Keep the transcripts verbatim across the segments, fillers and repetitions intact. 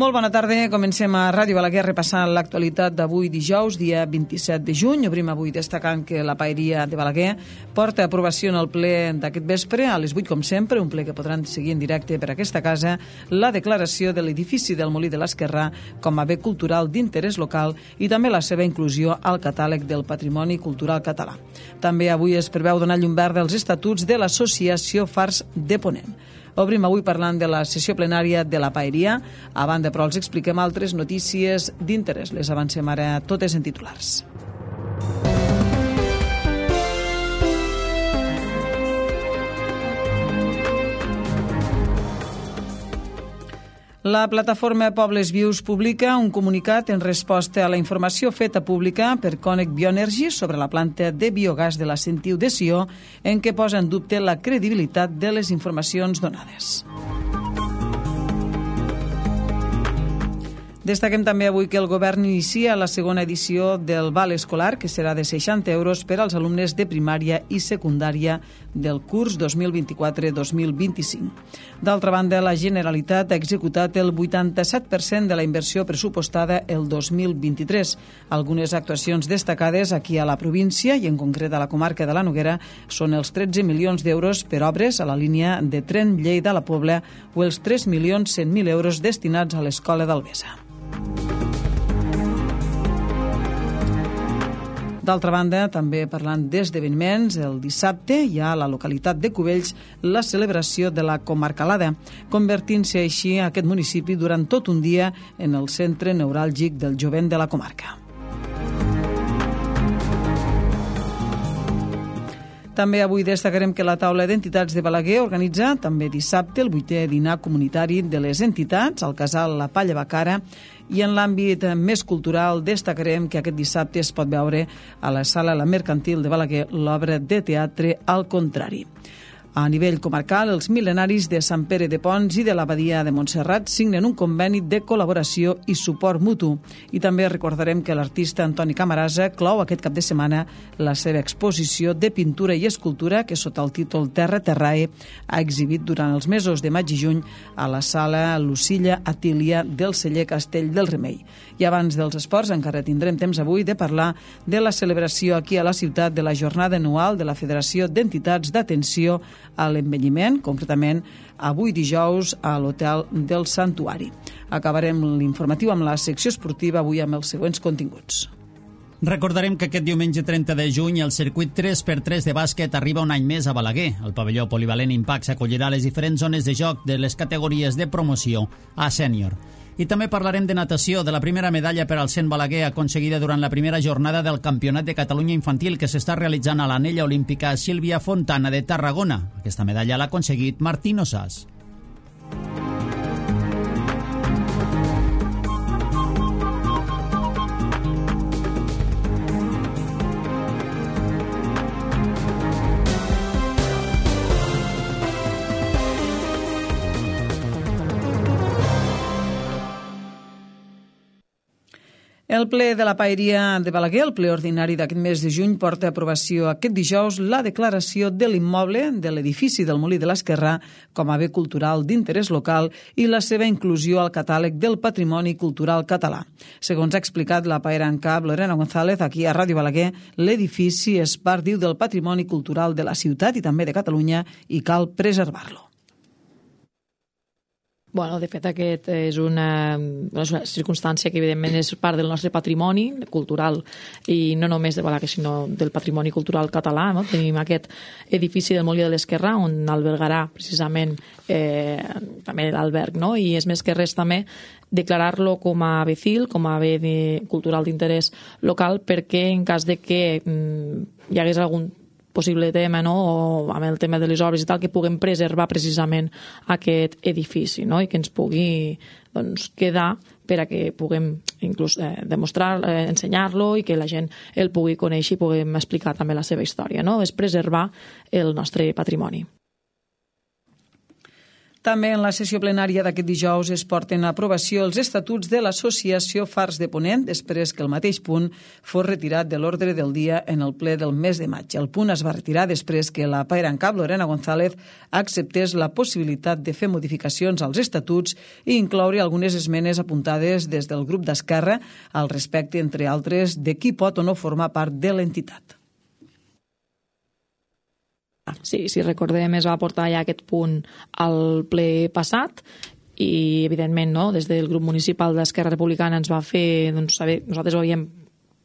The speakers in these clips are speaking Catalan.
Molt bona tarda, comencem a Ràdio Balaguer repassant l'actualitat d'avui dijous, dia vint-i-set de juny. Obrim avui destacant que la Paeria de Balaguer porta aprovació en el ple d'aquest vespre, a les vuit com sempre, un ple que podran seguir en directe per aquesta casa, la declaració de l'edifici del Molí de l'Esquerrà com a bé cultural d'interès local i també la seva inclusió al catàleg del Patrimoni Cultural Català. També avui es preveu donar llum verda als estatuts de l'Associació Fars de Ponent. Obrim avui parlant de la sessió plenària de la Paeria. A banda, però, els expliquem altres notícies d'interès. Les avancem ara totes en titulars. La plataforma Pobles Vius publica un comunicat en resposta a la informació feta pública per Cònec Bioenergy sobre la planta de biogàs de la Sentiu de Sió, en què posa en dubte la credibilitat de les informacions donades. Destaquem també avui que el govern inicia la segona edició del Val Escolar, que serà de seixanta euros per als alumnes de primària i secundària del curs dos mil vint-i-quatre dos mil vint-i-cinc. D'altra banda, la Generalitat ha executat el vuitanta-set per cent de la inversió pressupostada el dos mil vint-i-tres. Algunes actuacions destacades aquí a la província i en concret a la comarca de la Noguera són els tretze milions d'euros per obres a la línia de tren Lleida-La Pobla o els tres milions cent mil euros destinats a l'Escola d'Albesa. D'altra banda, també parlant d'esdeveniments, el dissabte hi ha a la localitat de Cubells la celebració de la Comarcalada, convertint-se així aquest municipi durant tot un dia en el centre neuràlgic del jovent de la comarca. També avui destacarem que la taula d'entitats de Balaguer organitza també dissabte el vuitè dinar comunitari de les entitats al casal La Palla Bacara, i en l'àmbit més cultural destacarem que aquest dissabte es pot veure a la sala La Mercantil de Balaguer l'obra de teatre Al contrari. A nivell comarcal, els mil·lenaris de Sant Pere de Pons i de l'Abadia de Montserrat signen un conveni de col·laboració i suport mutu. I també recordarem que l'artista Antoni Camarasa clou aquest cap de setmana la seva exposició de pintura i escultura que sota el títol Terra Terrae ha exhibit durant els mesos de maig i juny a la sala Lucilla Atília del celler Castell del Remei. I abans dels esports encara tindrem temps avui de parlar de la celebració aquí a la ciutat de la jornada anual de la Federació d'Entitats d'Atenció a l'Envelliment, concretament avui dijous a l'Hotel del Santuari. Acabarem l'informatiu amb la secció esportiva avui amb els següents continguts. Recordarem que aquest diumenge trenta de juny el circuit tres per tres de bàsquet arriba un any més a Balaguer. El pavelló polivalent Impact s'acollirà les diferents zones de joc de les categories de promoció a sènior. I també parlarem de natació, de la primera medalla per al cent Balaguer aconseguida durant la primera jornada del Campionat de Catalunya Infantil que s'està realitzant a l'Anella Olímpica Sílvia Fontana de Tarragona. Aquesta medalla l'ha aconseguit Martín Osàs. El ple de la Paeria de Balaguer, el ple ordinari d'aquest mes de juny, porta a aprovació aquest dijous la declaració de l'immoble de l'edifici del Molí de l'Esquerrà com a bé cultural d'interès local i la seva inclusió al catàleg del Patrimoni Cultural Català. Segons ha explicat la paera en cap Lorena González aquí a Ràdio Balaguer, l'edifici és part, diu, del patrimoni cultural de la ciutat i també de Catalunya i cal preservar-lo. Bueno, de fet, aquest és una, una circumstància que, evidentment, és part del nostre patrimoni cultural i no només de Balaguer, sinó del patrimoni cultural català. No? Tenim aquest edifici del Molí de l'Esquerrà on albergarà precisament eh, també l'alberg, no? I és més que res també declarar-lo com a bé C I L, com a bé de, cultural d'interès local, perquè en cas de que mm, hi hagués algun possible tema, no? O amb el tema de les obres i tal, que puguem preservar precisament aquest edifici, no? I que ens pugui doncs, quedar per a que puguem inclús eh, demostrar, eh, ensenyar-lo i que la gent el pugui conèixer i puguem explicar també la seva història, no? És preservar el nostre patrimoni. També en la sessió plenària d'aquest dijous es porten a aprovació els estatuts de l'Associació Fars de Ponent després que el mateix punt fos retirat de l'ordre del dia en el ple del mes de maig. El punt es va retirar després que la PAERANCAP, Lorena González, acceptés la possibilitat de fer modificacions als estatuts i incloure algunes esmenes apuntades des del grup d'Esquerra al respecte, entre altres, de qui pot o no formar part de l'entitat. Sí, si recordem, es va portar ja aquest punt al ple passat i, evidentment, no, des del grup municipal d'Esquerra Republicana ens va fer, doncs, saber, nosaltres ho havíem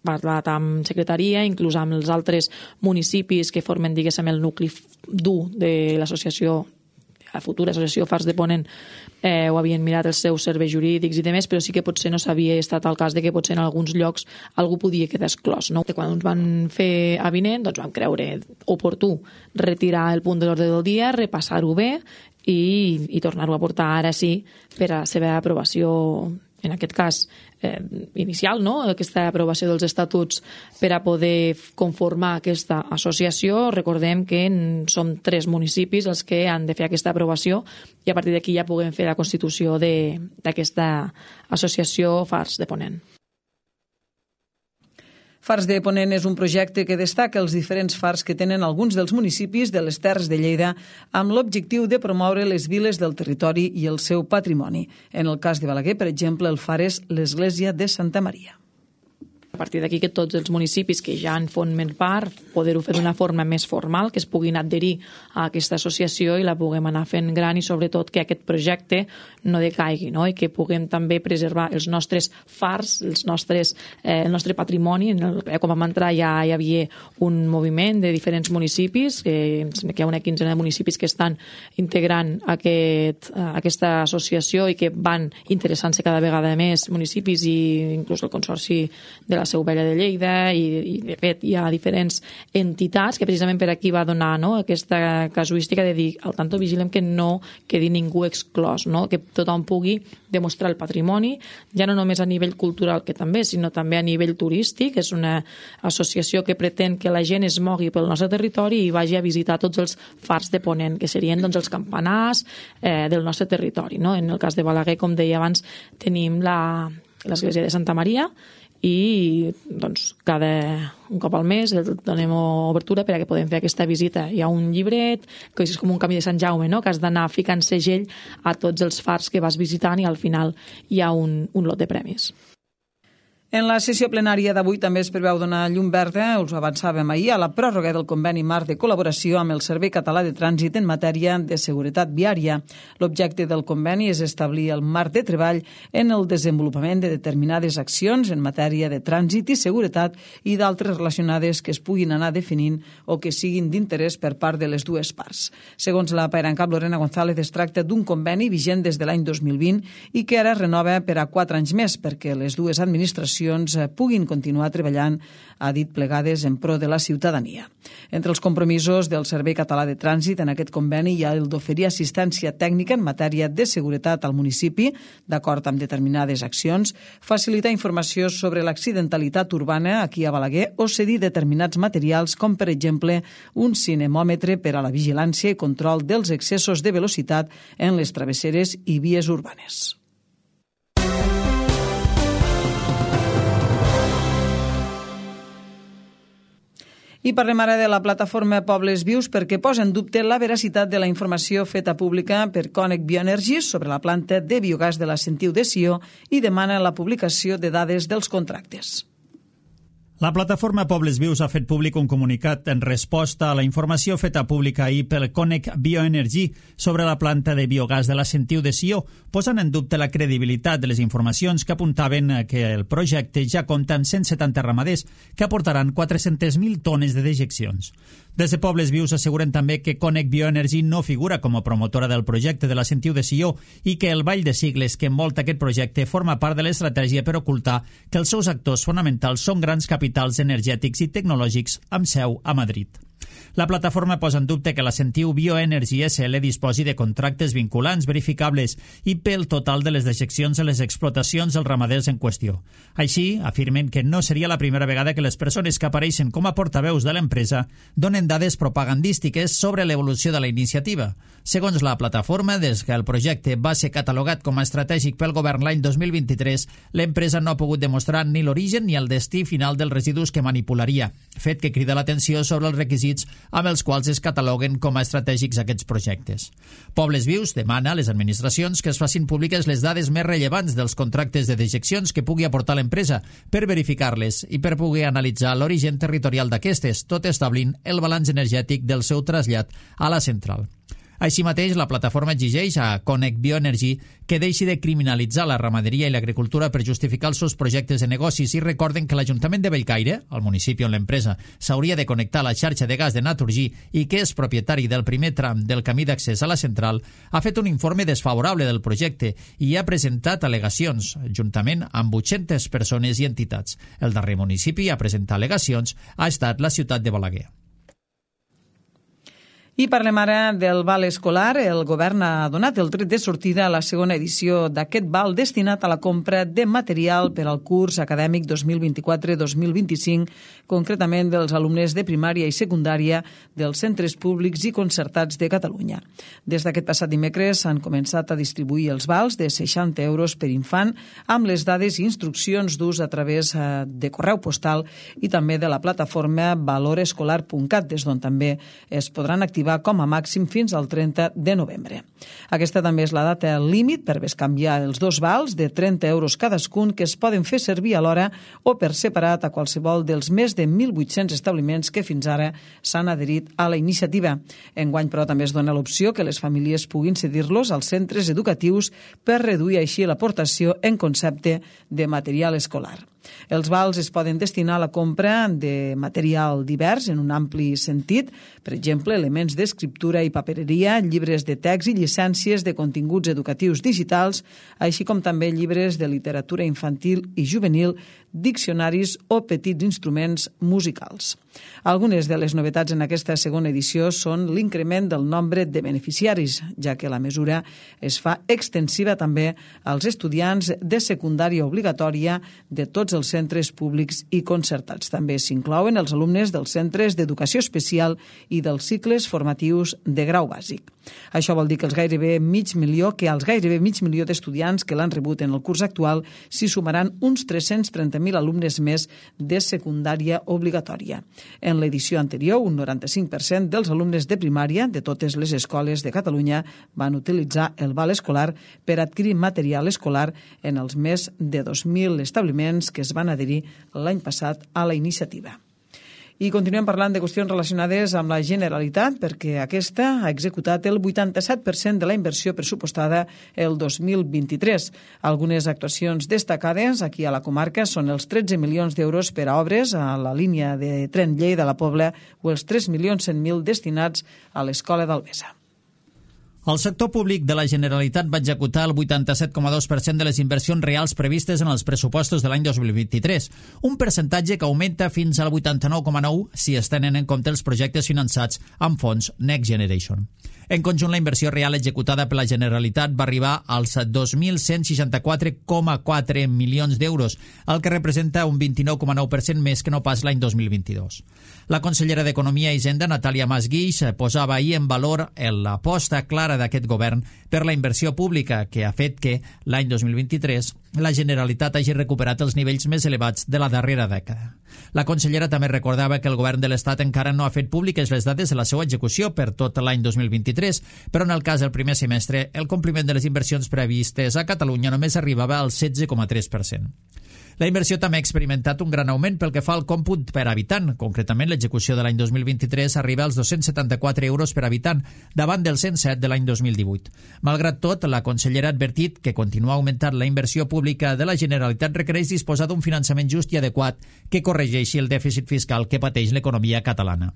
parlat amb secretaria, inclús amb els altres municipis que formen, diguéssim, el nucli dur de l'associació, la futura associació Fars de Ponent, eh, ho havien mirat els seus serveis jurídics i demés, però sí que potser no s'havia estat el cas de que potser en alguns llocs algú podia quedar exclòs. No? Quan ens van fer avinent, doncs vam creure oportú retirar el punt de l'ordre del dia, repassar-ho bé i, i tornar-ho a portar ara sí per a la seva aprovació, en aquest cas eh, inicial, no? Aquesta aprovació dels estatuts per a poder conformar aquesta associació. Recordem que som tres municipis els que han de fer aquesta aprovació i a partir d'aquí ja puguem fer la constitució d'aquesta associació Fars de Ponent. Fars de Ponent és un projecte que destaca els diferents fars que tenen alguns dels municipis de les Terres de Lleida amb l'objectiu de promoure les viles del territori i el seu patrimoni. En el cas de Balaguer, per exemple, el far és l'església de Santa Maria. A partir d'aquí que tots els municipis que ja en formen part, poder-ho fer d'una forma més formal, que es puguin adherir a aquesta associació i la puguem anar fent gran i sobretot que aquest projecte no decaigui, no? I que puguem també preservar els nostres fars, els nostres, eh, el nostre patrimoni. En el, com vam entrar ja hi havia un moviment de diferents municipis, que, que hi ha una quinzena de municipis que estan integrant aquest, aquesta associació i que van interessant-se cada vegada més municipis i inclús el Consorci de la Seu Vella de Lleida i, i de fet hi ha diferents entitats que precisament per aquí va donar, no, aquesta casuística de dir al tanto vigilem que no quedi ningú exclòs, no? Que tothom pugui demostrar el patrimoni, ja no només a nivell cultural que també, sinó també a nivell turístic. És una associació que pretén que la gent es mogui pel nostre territori i vagi a visitar tots els fars de Ponent, que serien doncs, els campanars eh, del nostre territori, no? En el cas de Balaguer, com deia abans, tenim la, l'església de Santa Maria i doncs, cada un cop al mes donem obertura per a que podem fer aquesta visita. Hi ha un llibret, que és com un camí de Sant Jaume, no? Que has d'anar ficant segell a tots els fars que vas visitant i al final hi ha un, un lot de premis. En la sessió plenària d'avui també es preveu donar llum verda, us ho avançàvem ahir, a la pròrroga del conveni marc de col·laboració amb el Servei Català de Trànsit en matèria de seguretat viària. L'objecte del conveni és establir el marc de treball en el desenvolupament de determinades accions en matèria de trànsit i seguretat i d'altres relacionades que es puguin anar definint o que siguin d'interès per part de les dues parts. Segons la PAERANCAP, Lorena González, es tracta d'un conveni vigent des de l'any dos mil vint i que ara es renova per a quatre anys més perquè les dues administracions puguin continuar treballant, ha dit, plegades en pro de la ciutadania. Entre els compromisos del Servei Català de Trànsit en aquest conveni hi ha el d'oferir assistència tècnica en matèria de seguretat al municipi, d'acord amb determinades accions, facilitar informació sobre l'accidentalitat urbana aquí a Balaguer o cedir determinats materials com, per exemple, un cinemòmetre per a la vigilància i control dels excessos de velocitat en les travesseres i vies urbanes. I parlem ara de la plataforma Pobles Vius perquè posa en dubte la veracitat de la informació feta pública per Cònec Bioenergy sobre la planta de biogàs de la Sentiu de Sió i demana la publicació de dades dels contractes. La plataforma Pobles Vius ha fet públic un comunicat en resposta a la informació feta pública ahir pel Cònec Bioenergy sobre la planta de biogàs de la Sentiu de Sió, posant en dubte la credibilitat de les informacions que apuntaven que el projecte ja compta amb cent setanta ramaders que aportaran quatre-centes mil tones de dejeccions. Des de Pobles Vius asseguren també que Cònec Bioenergy no figura com a promotora del projecte de la Sentiu de Sió i que el ball de sigles que envolta aquest projecte forma part de l'estratègia per ocultar que els seus actors fonamentals són grans capitals energètics i tecnològics amb seu a Madrid. La plataforma posa en dubte que la Sentiu Bioenergy S L disposi de contractes vinculants verificables i pel total de les dejeccions a les explotacions dels ramaders en qüestió. Així, afirmen que no seria la primera vegada que les persones que apareixen com a portaveus de l'empresa donen dades propagandístiques sobre l'evolució de la iniciativa. Segons la plataforma, des que el projecte va ser catalogat com a estratègic pel govern l'any dos mil vint-i-tres, l'empresa no ha pogut demostrar ni l'origen ni el destí final dels residus que manipularia, fet que crida l'atenció sobre els requisits amb els quals es cataloguen com a estratègics aquests projectes. Pobles Vius demana a les administracions que es facin públiques les dades més rellevants dels contractes de dejeccions que pugui aportar l'empresa per verificar-les i per poder analitzar l'origen territorial d'aquestes, tot establint el balanç energètic del seu trasllat a la central. Així mateix, la plataforma exigeix a Connect Bioenergy que deixi de criminalitzar la ramaderia i l'agricultura per justificar els seus projectes de negocis i recorden que l'Ajuntament de Bellcaire, el municipi on l'empresa s'hauria de connectar a la xarxa de gas de Naturgy i que és propietari del primer tram del camí d'accés a la central, ha fet un informe desfavorable del projecte i ha presentat al·legacions, juntament amb vuit-centes persones i entitats. El darrer municipi a presentar al·legacions ha estat la ciutat de Balaguer. I parlem ara del val escolar. El govern ha donat el tret de sortida a la segona edició d'aquest val destinat a la compra de material per al curs acadèmic dos mil vint-i-quatre dos mil vint-i-cinc, concretament dels alumnes de primària i secundària dels centres públics i concertats de Catalunya. Des d'aquest passat dimecres s'han començat a distribuir els vals de seixanta euros per infant amb les dades i instruccions d'ús a través de correu postal i també de la plataforma valorescolar punt cat, des d'on també es podran activar com a màxim fins al trenta de novembre. Aquesta també és la data límit per bescanviar els dos vals de trenta euros cadascun que es poden fer servir alhora o per separat a qualsevol dels més de mil vuit-cents establiments que fins ara s'han adherit a la iniciativa. Enguany, però, també es dona l'opció que les famílies puguin cedir-los als centres educatius per reduir així l'aportació en concepte de material escolar. Els vals es poden destinar a la compra de material divers en un ampli sentit, per exemple, elements d'escriptura i papereria, llibres de text i llicències de continguts educatius digitals, així com també llibres de literatura infantil i juvenil, diccionaris o petits instruments musicals. Algunes de les novetats en aquesta segona edició són l'increment del nombre de beneficiaris, ja que la mesura es fa extensiva també als estudiants de secundària obligatòria de tots els centres públics i concertats. També s'inclouen els alumnes dels centres d'educació especial i dels cicles formatius de grau bàsic. Això vol dir que els gairebé mig milió, que als gairebé mig milió d'estudiants que l'han rebut en el curs actual s'hi sumaran uns tres-cents trenta mil alumnes més de secundària obligatòria. En l'edició anterior, un noranta-cinc per cent dels alumnes de primària de totes les escoles de Catalunya van utilitzar el val escolar per adquirir material escolar en els més de dos mil establiments que es van adherir l'any passat a la iniciativa. I continuem parlant de qüestions relacionades amb la Generalitat, perquè aquesta ha executat el vuitanta-set per cent de la inversió pressupostada el dos mil vint-i-tres. Algunes actuacions destacades aquí a la comarca són els tretze milions d'euros per a obres a la línia de tren Lleida-La Pobla o els tres milions cent mil destinats a l'Escola d'Albesa. El sector públic de la Generalitat va executar el vuitanta-set coma dos per cent de les inversions reals previstes en els pressupostos de l'any dos mil vint-i-tres, un percentatge que augmenta fins al vuitanta-nou coma nou si es tenen en compte els projectes finançats amb fons Next Generation. En conjunt, la inversió real executada per la Generalitat va arribar als dos mil cent seixanta-quatre coma quatre milions d'euros, el que representa un vint-i-nou coma nou per cent més que no pas l'any dos mil vint-i-dos. La consellera d'Economia i Hisenda, Natàlia Mas Guix, posava ahir en valor l'aposta clara d'aquest govern per la inversió pública, que ha fet que l'any dos mil vint-i-tres la Generalitat hagi recuperat els nivells més elevats de la darrera dècada. La consellera també recordava que el govern de l'Estat encara no ha fet públiques les dades de la seva execució per tot l'any dos mil vint-i-tres, però en el cas del primer semestre el compliment de les inversions previstes a Catalunya només arribava al setze coma tres per cent. La inversió també ha experimentat un gran augment pel que fa al còmput per habitant. Concretament, l'execució de l'any dos mil vint-i-tres arriba als dos-cents setanta-quatre euros per habitant, davant dels cent set de l'any dos mil divuit. Malgrat tot, la consellera ha advertit que continuar augmentant la inversió pública de la Generalitat requereix disposar d'un finançament just i adequat que corregeixi el dèficit fiscal que pateix l'economia catalana.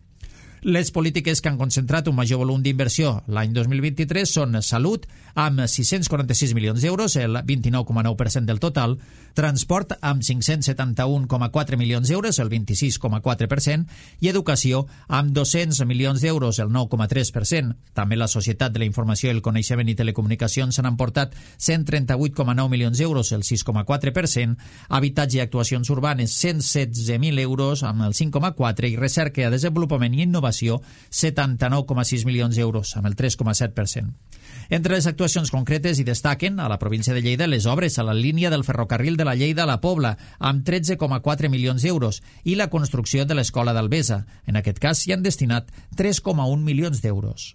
Les polítiques que han concentrat un major volum d'inversió l'any dos mil vint-i-tres són salut, amb sis-cents quaranta-sis milions d'euros, el vint-i-nou coma nou per cent del total, transport, amb cinc-cents setanta-un coma quatre milions d'euros, el vint-i-sis coma quatre per cent, i educació, amb dos-cents milions d'euros, el nou coma tres per cent. També la Societat de la Informació i el Coneixement i Telecomunicacions s'han emportat cent trenta-vuit coma nou milions d'euros, el sis coma quatre per cent, habitatge i actuacions urbanes, cent setze mil euros, amb el cinc coma quatre per cent, i recerca, desenvolupament i innovació, setanta-nou coma sis milions d'euros, amb el tres coma set per cent. Entre les actuacions concretes hi destaquen a la província de Lleida les obres a la línia del ferrocarril de la Lleida a la Pobla, amb tretze coma quatre milions d'euros, i la construcció de l'escola d'Albesa. En aquest cas s'hi han destinat tres coma un milions d'euros.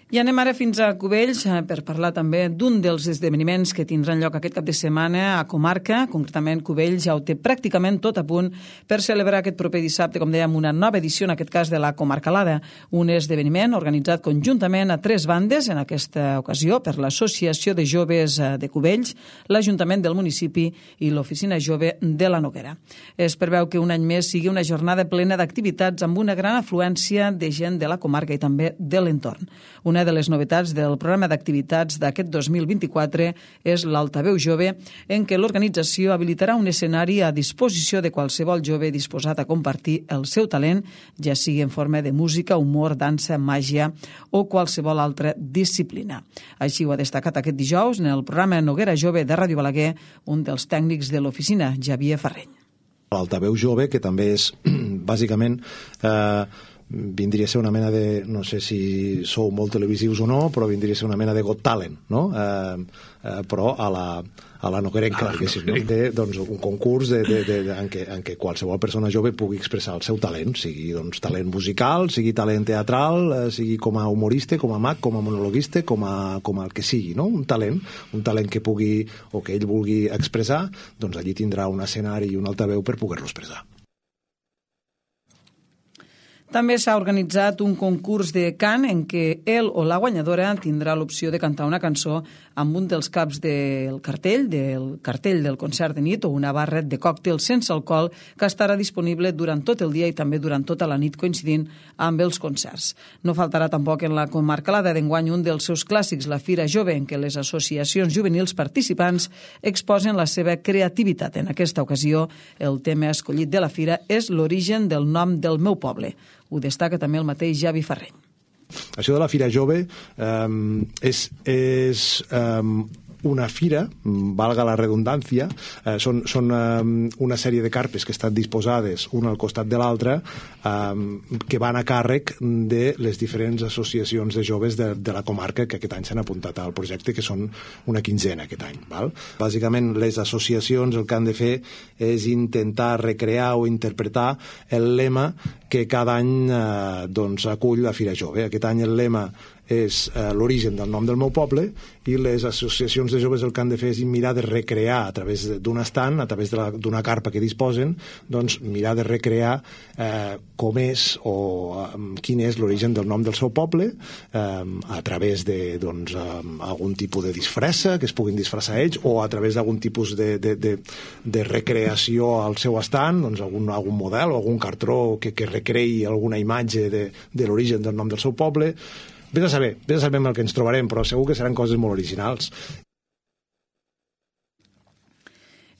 I anem ara fins a Cubells per parlar també d'un dels esdeveniments que tindran lloc aquest cap de setmana a comarca. Concretament, Cubells ja ho té pràcticament tot a punt per celebrar aquest proper dissabte, com dèiem, una nova edició, en aquest cas de la Comarcalada, un esdeveniment organitzat conjuntament a tres bandes, en aquesta ocasió per l'Associació de Joves de Cubells, l'Ajuntament del municipi i l'Oficina Jove de la Noguera. Es preveu que un any més sigui una jornada plena d'activitats amb una gran afluència de gent de la comarca i també de l'entorn. Una Una de les novetats del programa d'activitats d'aquest dos mil vint-i-quatre és l'Altaveu Jove, en què l'organització habilitarà un escenari a disposició de qualsevol jove disposat a compartir el seu talent, ja sigui en forma de música, humor, dansa, màgia o qualsevol altra disciplina. Així ho ha destacat aquest dijous en el programa Noguera Jove de Ràdio Balaguer un dels tècnics de l'oficina, Javier Ferreny. L'Altaveu Jove, que també és, bàsicament, eh, vindria a ser una mena de, no sé si sou molt televisius o no, però vindria a ser una mena de Got Talent, no? Eh, eh, però a la, a la noguerenca, diguéssim, no? De, doncs, un concurs de, de, de, de, en, què, en què qualsevol persona jove pugui expressar el seu talent, sigui doncs, talent musical, sigui talent teatral, eh, sigui com a humorista, com a mag, com a monologuista, com a, com a el que sigui, no? Un talent, un talent que pugui, o que ell vulgui expressar, doncs allí tindrà un escenari i un altaveu per poder-lo expressar. També s'ha organitzat un concurs de cant en què el o la guanyadora tindrà l'opció de cantar una cançó amb un dels caps del cartell, del cartell del concert de nit o una barret de còctel sense alcohol que estarà disponible durant tot el dia i també durant tota la nit coincidint amb els concerts. No faltarà tampoc en la Comarcalada d'enguany un dels seus clàssics, la Fira Jove, en què les associacions juvenils participants exposen la seva creativitat. En aquesta ocasió, el tema escollit de la fira és l'origen del nom del meu poble. Ho destaca també el mateix Javi Ferreny. Això de la Fira Jove eh, és, és eh, una fira, valga la redundància, eh, són, són eh, una sèrie de carpes que estan disposades una al costat de l'altra, eh, que van a càrrec de les diferents associacions de joves de, de la comarca que aquest any s'han apuntat al projecte, que són una quinzena aquest any. Val? Bàsicament, les associacions el que han de fer és intentar recrear o interpretar el lema que cada any eh, doncs, acull la Fira Jove. Aquest any el lema és eh, l'origen del nom del meu poble, i les associacions de joves el que han de fer és mirar de recrear a través d'un estant, a través d'una carpa que disposen, doncs mirar de recrear eh, com és o eh, quin és l'origen del nom del seu poble, eh, a través de doncs, eh, algun tipus de disfressa, que es puguin disfressar ells, o a través d'algun tipus de, de, de, de recreació al seu estant, doncs algun, algun model o algun cartró que, que recreï alguna imatge de, de l'origen del nom del seu poble. Vés a saber, vés a saber el que ens trobarem, però segur que seran coses molt originals.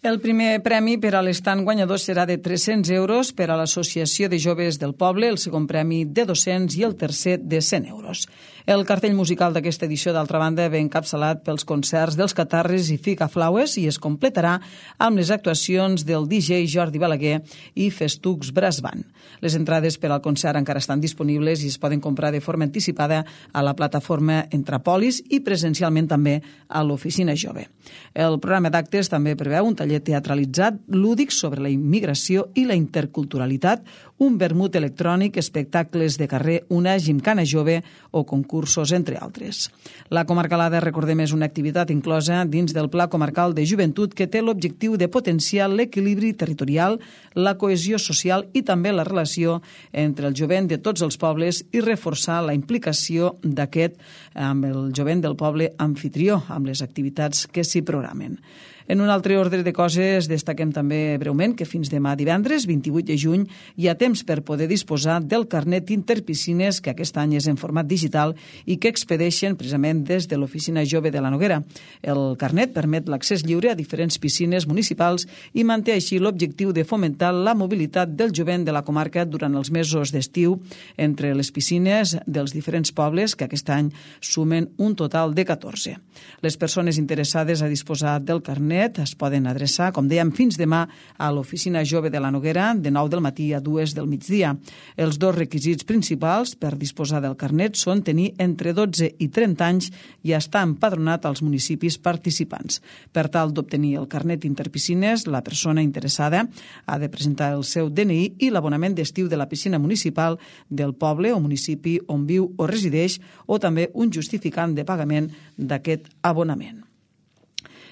El primer premi per a l'estant guanyador serà de tres-cents euros per a l'Associació de Joves del Poble, el segon premi de dos-cents i el tercer de cent euros. El cartell musical d'aquesta edició, d'altra banda, ve encapçalat pels concerts dels Catarres i Ficaflaues i es completarà amb les actuacions del D J Jordi Balaguer i Festucs Brass Band. Les entrades per al concert encara estan disponibles i es poden comprar de forma anticipada a la plataforma Entrapolis i presencialment també a l'Oficina Jove. El programa d'actes també preveu un taller teatralitzat lúdic sobre la immigració i la interculturalitat, un vermut electrònic, espectacles de carrer, una gimcana jove o concursos, entre altres. La Comarcalada, recordem, és una activitat inclosa dins del Pla Comarcal de Joventut que té l'objectiu de potenciar l'equilibri territorial, la cohesió social i també la relació entre el jovent de tots els pobles i reforçar la implicació d'aquest amb el jovent del poble anfitrió, amb les activitats que s'hi programen. En un altre ordre de coses, destaquem també breument que fins demà divendres, vint-i-vuit de juny, hi ha temps per poder disposar del carnet interpiscines, que aquest any és en format digital i que expedeixen precisament des de l'Oficina Jove de la Noguera. El carnet permet l'accés lliure a diferents piscines municipals i manté així l'objectiu de fomentar la mobilitat del jovent de la comarca durant els mesos d'estiu entre les piscines dels diferents pobles, que aquest any sumen un total de catorze. Les persones interessades a disposar del carnet es poden adreçar, com dèiem, fins demà a l'Oficina Jove de la Noguera de nou del matí a dues del migdia. Els dos requisits principals per disposar del carnet són tenir entre dotze i trenta anys i estar empadronat als municipis participants. Per tal d'obtenir el carnet interpiscines, la persona interessada ha de presentar el seu D N I i l'abonament d'estiu de la piscina municipal del poble o municipi on viu o resideix, o també un justificant de pagament d'aquest abonament.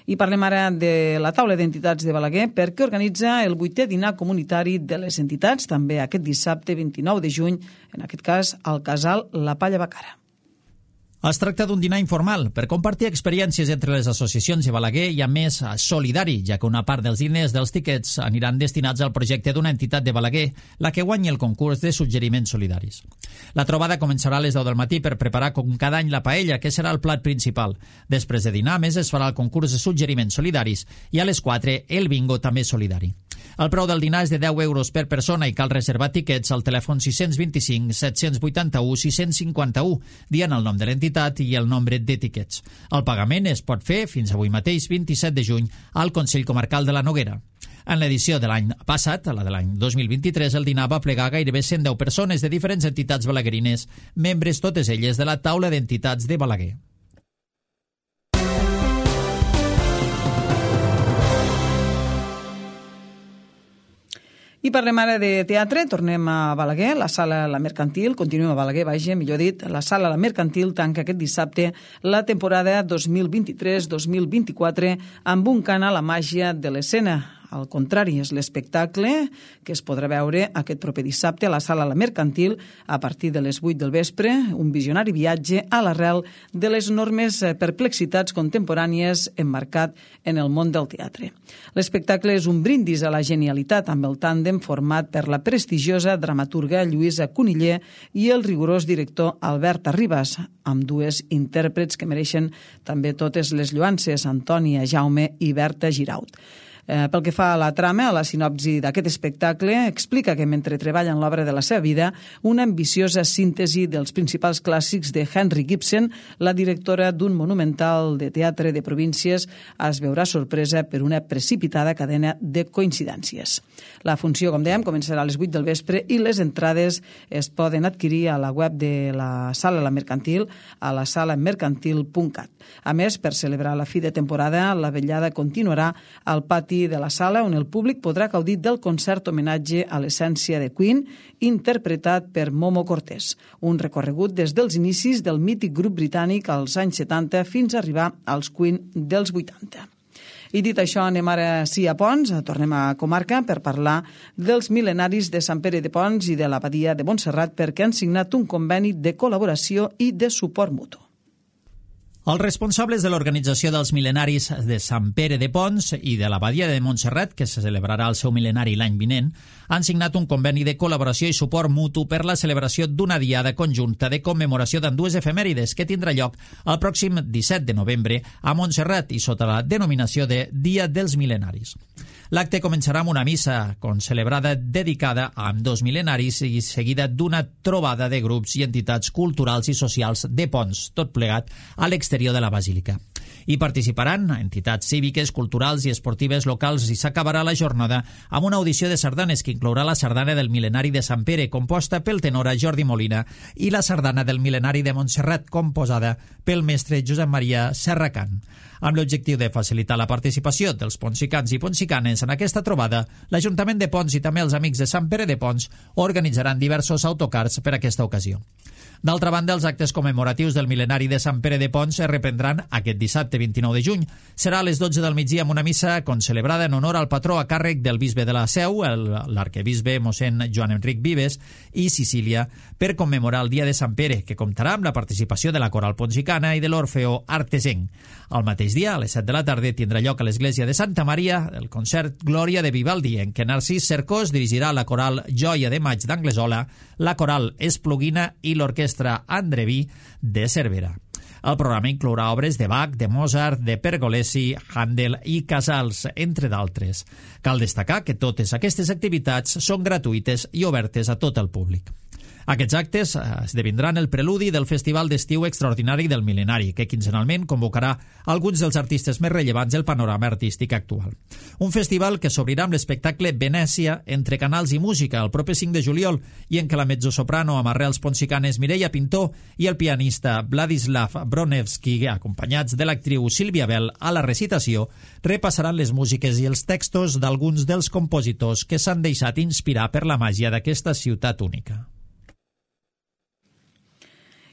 I parlem ara de la taula d'entitats de Balaguer, perquè organitza el vuitè dinar comunitari de les entitats, també aquest dissabte vint-i-nou de juny, en aquest cas al casal La Palla Bacara. Es tracta d'un dinar informal per compartir experiències entre les associacions de Balaguer i, a més, solidari, ja que una part dels diners dels tiquets aniran destinats al projecte d'una entitat de Balaguer, la que guanyi el concurs de suggeriments solidaris. La trobada començarà a les deu del matí per preparar com cada any la paella, que serà el plat principal. Després de dinar, més, es farà el concurs de suggeriments solidaris i a les quatre el bingo també solidari. El preu del dinar és de deu euros per persona i cal reservar tiquets al telèfon sis dos cinc, set vuit u, sis cinc u, dient el nom de l'entitat i el nombre de tiquets. El pagament es pot fer fins avui mateix, vint-i-set de juny, al Consell Comarcal de la Noguera. En l'edició de l'any passat, la de l'any dos mil vint-i-tres, el dinar va plegar gairebé cent deu persones de diferents entitats balaguerines, membres totes elles de la taula d'entitats de Balaguer. I parlem ara de teatre, tornem a Balaguer, la sala La Mercantil, continuem a Balaguer, vaja, millor dit, la sala La Mercantil tanca aquest dissabte la temporada dos mil vint-i-tres dos mil vint-i-quatre amb un cant a la màgia de l'escena. Al contrari, és l'espectacle que es podrà veure aquest proper dissabte a la sala La Mercantil a partir de les vuit del vespre, un visionari viatge a l'arrel de les enormes perplexitats contemporànies emmarcat en el món del teatre. L'espectacle és un brindis a la genialitat amb el tàndem format per la prestigiosa dramaturga Lluïsa Cuniller i el rigorós director Albert Arribas, amb dues intèrprets que mereixen també totes les lloances, Antònia Jaume i Berta Giraut. Eh, pel que fa a la trama, a la sinopsi d'aquest espectacle, explica que mentre treballa en l'obra de la seva vida, una ambiciosa síntesi dels principals clàssics de Henry Gibson, la directora d'un monumental de teatre de províncies, es veurà sorpresa per una precipitada cadena de coincidències. La funció, com dèiem, començarà a les vuit del vespre i les entrades es poden adquirir a la web de la Sala La Mercantil, a la sala mercantil punt cat. A més, per celebrar la fi de temporada, la vetllada continuarà al pati de la sala, on el públic podrà gaudir del concert homenatge a l'essència de Queen, interpretat per Momo Cortés. Un recorregut des dels inicis del mític grup britànic als anys setanta fins a arribar als Queen dels vuitanta. I dit això, anem ara sí a Pons, tornem a comarca per parlar dels mil·lenaris de Sant Pere de Pons i de l'Abadia de Montserrat, perquè han signat un conveni de col·laboració i de suport mutu. Els responsables de l'organització dels mil·lenaris de Sant Pere de Pons i de l'Abadia de Montserrat, que se celebrarà el seu mil·lenari l'any vinent, han signat un conveni de col·laboració i suport mutu per la celebració d'una diada conjunta de commemoració d'ambdues efemèrides que tindrà lloc el pròxim disset de novembre a Montserrat i sota la denominació de Dia dels Mil·lenaris. L'acte començarà amb una missa concelebrada dedicada a ambdós mil·lenaris i seguida d'una trobada de grups i entitats culturals i socials de Pons, tot plegat a l'exterior de la Basílica. Hi participaran entitats cíviques, culturals i esportives locals i s'acabarà la jornada amb una audició de sardanes que inclourà la sardana del mil·lenari de Sant Pere, composta pel tenor Jordi Molina, i la sardana del mil·lenari de Montserrat, composada pel mestre Josep Maria Serracant. Amb l'objectiu de facilitar la participació dels ponsicans i ponsicanes en aquesta trobada, l'Ajuntament de Pons i també els Amics de Sant Pere de Pons organitzaran diversos autocars per a aquesta ocasió. D'altra banda, els actes commemoratius del mil·lenari de Sant Pere de Pons es reprendran aquest dissabte vint-i-nou de juny. Serà a les dotze del migdia amb una missa concelebrada en honor al patró a càrrec del bisbe de la Seu, l'arquebisbe mossèn Joan Enric Vives, i Sicília, per commemorar el dia de Sant Pere, que comptarà amb la participació de la Coral Ponsicana i de l'Orfeó Artesenc. El mateix dia, a les set de la tarda, tindrà lloc a l'església de Santa Maria el concert Glòria de Vivaldi, en què Narcís Cercós dirigirà la coral Joia de Maig d'Anglesola, la coral Espluguina i l'orquestra Andreví de Cervera. El programa inclourà obres de Bach, de Mozart, de Pergolesi, Handel i Casals, entre d'altres. Cal destacar que totes aquestes activitats són gratuïtes i obertes a tot el públic. Aquests actes esdevindran el preludi del Festival d'Estiu Extraordinari del Mil·lenari, que quinzenalment convocarà alguns dels artistes més rellevants del panorama artístic actual. Un festival que s'obrirà amb l'espectacle Venècia entre canals i música el proper cinc de juliol i en què la mezzosoprano amb arrels ponsicanes Mireia Pintó i el pianista Vladislav Bronevski, acompanyats de l'actriu Sílvia Bell a la recitació, repassaran les músiques i els textos d'alguns dels compositors que s'han deixat inspirar per la màgia d'aquesta ciutat única.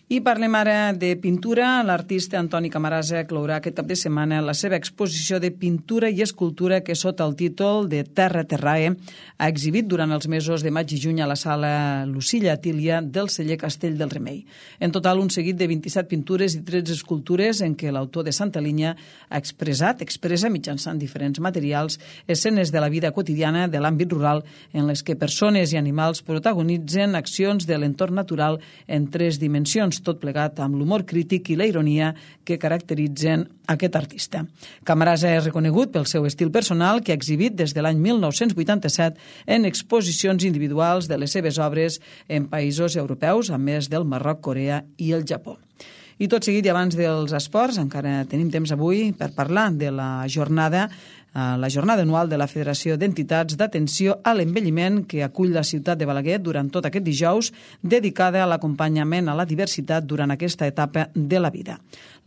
I parlem ara de pintura. L'artista Antoni Camarasa clourà aquest cap de setmana la seva exposició de pintura i escultura que sota el títol de Terra Terrae ha exhibit durant els mesos de maig i juny a la sala Lucilla Tília del celler Castell del Remei. En total, un seguit de vint-i-set pintures i tretze escultures en què l'autor de Santa Linya ha expressat, expressa mitjançant diferents materials, escenes de la vida quotidiana de l'àmbit rural en les que persones i animals protagonitzen accions de l'entorn natural en tres dimensions, tot plegat amb l'humor crític i la ironia que caracteritzen aquest artista. Camarasa és reconegut pel seu estil personal que ha exhibit des de l'any mil nou-cents vuitanta-set en exposicions individuals de les seves obres en països europeus, a més del Marroc, Corea i el Japó. I tot seguit i abans dels esports, encara tenim temps avui per parlar de la jornada la jornada anual de la Federació d'Entitats d'Atenció a l'Envelliment que acull la ciutat de Balaguer durant tot aquest dijous, dedicada a l'acompanyament a la diversitat durant aquesta etapa de la vida.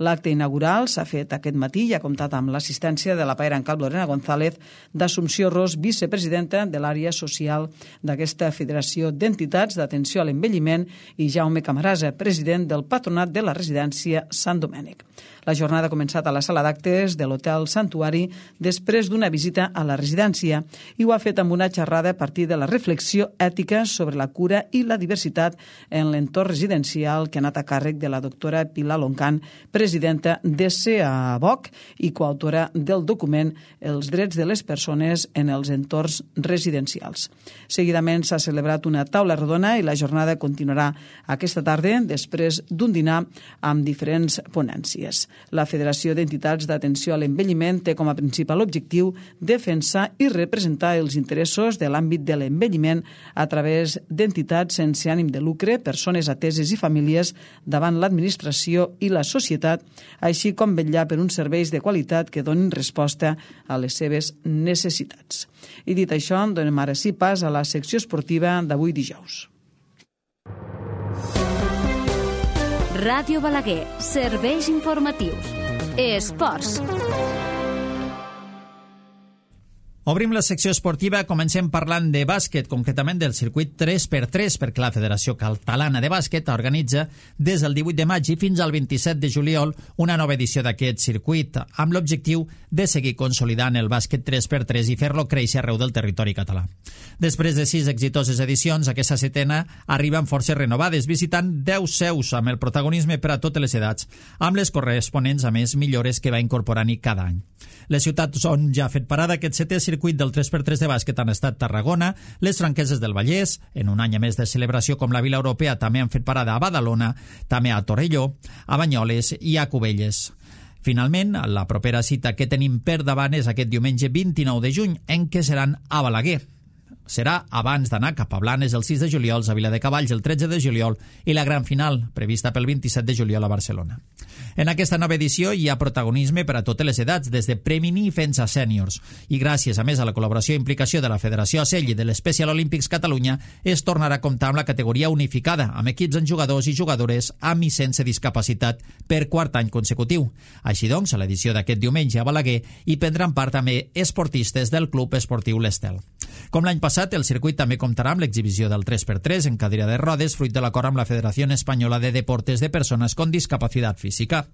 L'acte inaugural s'ha fet aquest matí i ha comptat amb l'assistència de la paera en cap Lorena González, d'Assumpció Ros, vicepresidenta de l'àrea social d'aquesta Federació d'Entitats d'Atenció a l'Envelliment, i Jaume Camarasa, president del Patronat de la Residència Sant Domènec. La jornada ha començat a la sala d'actes de l'Hotel Santuari després d'una visita a la residència i ho ha fet amb una xerrada a partir de la reflexió ètica sobre la cura i la diversitat en l'entorn residencial que ha anat a càrrec de la doctora Pilar Loncan, presidenta de SEABOC i coautora del document Els drets de les persones en els entorns residencials. Seguidament s'ha celebrat una taula rodona i la jornada continuarà aquesta tarda després d'un dinar amb diferents ponències. La Federació d'Entitats d'Atenció a l'Envelliment té com a principal objectiu defensar i representar els interessos de l'àmbit de l'envelliment a través d'entitats sense ànim de lucre, persones ateses i famílies davant l'administració i la societat, així com vetllar per uns serveis de qualitat que donin resposta a les seves necessitats. I dit això, donem ara sí pas a la secció esportiva d'avui dijous. Ràdio Balaguer, serveis informatius. Esports. Obrim la secció esportiva, comencem parlant de bàsquet, concretament del circuit tres per tres, perquè la Federació Catalana de Bàsquet organitza des del divuit de maig i fins al vint-i-set de juliol una nova edició d'aquest circuit, amb l'objectiu de seguir consolidant el bàsquet tres per tres i fer-lo créixer arreu del territori català. Després de sis exitoses edicions, aquesta setena arriba amb forces renovades, visitant deu seus amb el protagonisme per a totes les edats, amb les corresponents a més millores que va incorporant-hi cada any. Les ciutats on ja ha fet parada aquest setè circuit del tres per tres de bàsquet han estat Tarragona, les Franqueses del Vallès, en un any a més de celebració com la Vila Europea també han fet parada a Badalona, també a Torelló, a Banyoles i a Cubelles. Finalment, la propera cita que tenim per davant és aquest diumenge vint-i-nou de juny, en què seran a Balaguer. Serà abans d'anar cap a Blanes el sis de juliol, a Viladecavalls el tretze de juliol i la gran final, prevista pel vint-i-set de juliol a Barcelona. En aquesta nova edició hi ha protagonisme per a totes les edats, des de premini fins a sèniors. I gràcies, a més, a la col·laboració i implicació de la Federació A S E L i de l'Special Olympics Catalunya, es tornarà a comptar amb la categoria unificada, amb equips amb jugadors i jugadores amb i sense discapacitat per quart any consecutiu. Així doncs, a l'edició d'aquest diumenge a Balaguer hi prendran part també esportistes del Club Esportiu l'Estel. Com l'any passat, el circuit també comptarà amb l'exhibició del tres per tres en cadira de rodes, fruit de l'acord amb la Federació Espanyola de Deportes de Persones con Discapacitat Física.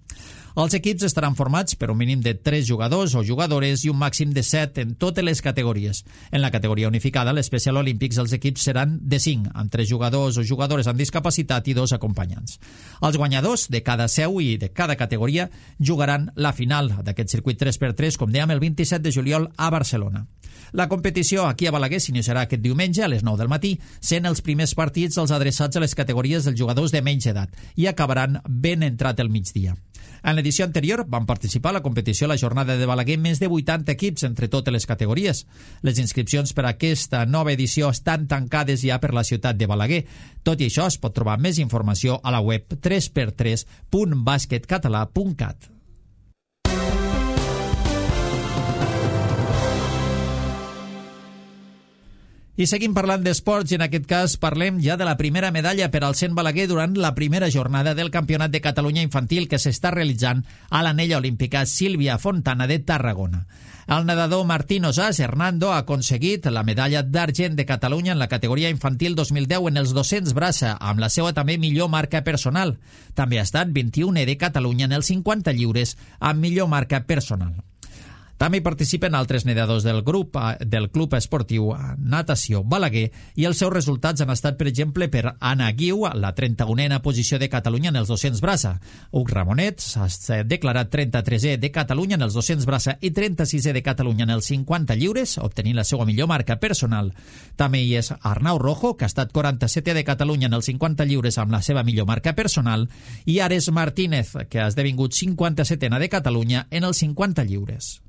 Els equips estaran formats per un mínim de tres jugadors o jugadores i un màxim de set en totes les categories. En la categoria unificada, l'Special Olympics, els equips seran de cinc, amb tres jugadors o jugadores amb discapacitat i dos acompanyants. Els guanyadors de cada seu i de cada categoria jugaran la final d'aquest circuit tres per tres, com dèiem, el vint-i-set de juliol a Barcelona. La competició aquí a Balaguer s'iniciarà aquest diumenge a les nou del matí, sent els primers partits els adreçats a les categories dels jugadors de menys edat i acabaran ben entrat el migdia. En l'edició anterior van participar a la competició a la jornada de Balaguer més de vuitanta equips entre totes les categories. Les inscripcions per a aquesta nova edició estan tancades ja per la ciutat de Balaguer. Tot i això, es pot trobar més informació a la web tres per tres punt basquetcatalà punt cat. I seguim parlant d'esports i en aquest cas parlem ja de la primera medalla per al cent Balaguer durant la primera jornada del Campionat de Catalunya Infantil que s'està realitzant a l'anella olímpica Sílvia Fontana de Tarragona. El nedador Martín Osàs Hernando ha aconseguit la medalla d'argent de Catalunya en la categoria infantil dos mil deu en els dos-cents braça, amb la seva també millor marca personal. També ha estat vint-i-unè de Catalunya en els cinquanta lliures amb millor marca personal. També hi participen altres nedadors del grup del Club Esportiu Natació Balaguer i els seus resultats han estat, per exemple, per Anna Guiu, la trenta-unena posició de Catalunya en els dos-cents braça. Huc Ramonet s'ha declarat trenta-tresè de Catalunya en els dos-cents braça i trenta-sisè de Catalunya en els cinquanta lliures, obtenint la seva millor marca personal. També hi és Arnau Rojo, que ha estat quaranta-setè de Catalunya en els cinquanta lliures amb la seva millor marca personal, i Ares Martínez, que ha esdevingut cinquanta-setena de Catalunya en els cinquanta lliures.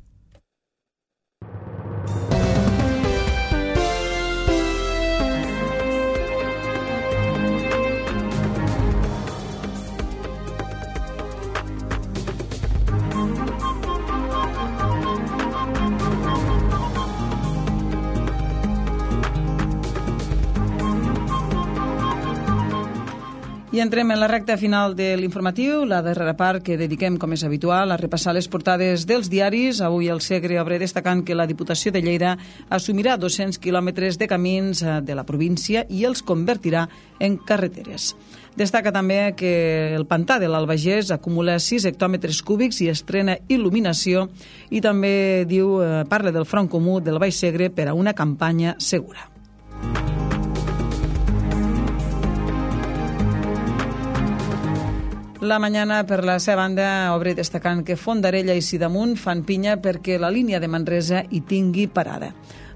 I entrem en la recta final de l'informatiu, la darrera part que dediquem, com és habitual, a repassar les portades dels diaris. Avui el Segre obre destacant que la Diputació de Lleida assumirà dos-cents quilòmetres de camins de la província i els convertirà en carreteres. Destaca també que el pantà de l'Albagés acumula sis hectòmetres cúbics i estrena il·luminació, i també diu parla del Front Comú del Baix Segre per a una campanya segura. La Mañana, per la seva banda, obre destacant que Fondarella i Sidamunt fan pinya perquè la línia de Manresa hi tingui parada.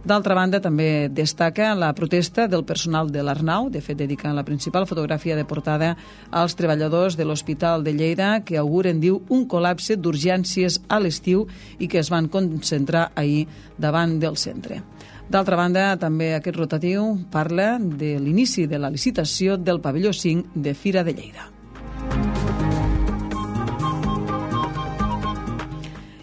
D'altra banda, també destaca la protesta del personal de l'Arnau, de fet dedicant la principal fotografia de portada als treballadors de l'Hospital de Lleida, que auguren, diu, un col·lapse d'urgències a l'estiu i que es van concentrar ahir davant del centre. D'altra banda, també aquest rotatiu parla de l'inici de la licitació del pavelló cinc de Fira de Lleida.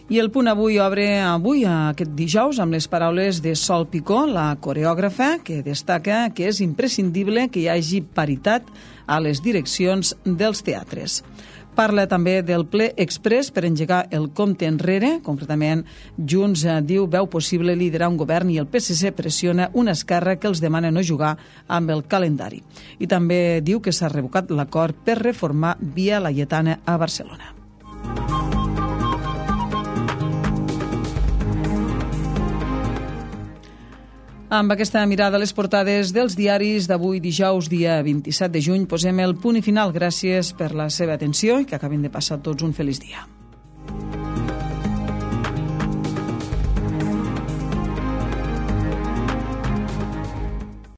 I el Punt Avui obre avui, aquest dijous, amb les paraules de Sol Picó, la coreògrafa, que destaca que és imprescindible que hi hagi paritat a les direccions dels teatres. Parla també del ple express per engegar el compte enrere, concretament Junts diu veu possible liderar un govern i el P S C pressiona una Esquerra que els demana no jugar amb el calendari. I també diu que s'ha revocat l'acord per reformar Via Laietana a Barcelona. Amb aquesta mirada a les portades dels diaris d'avui dijous, dia vint-i-set de juny, posem el punt i final. Gràcies per la seva atenció i que acabin de passar tots un feliç dia.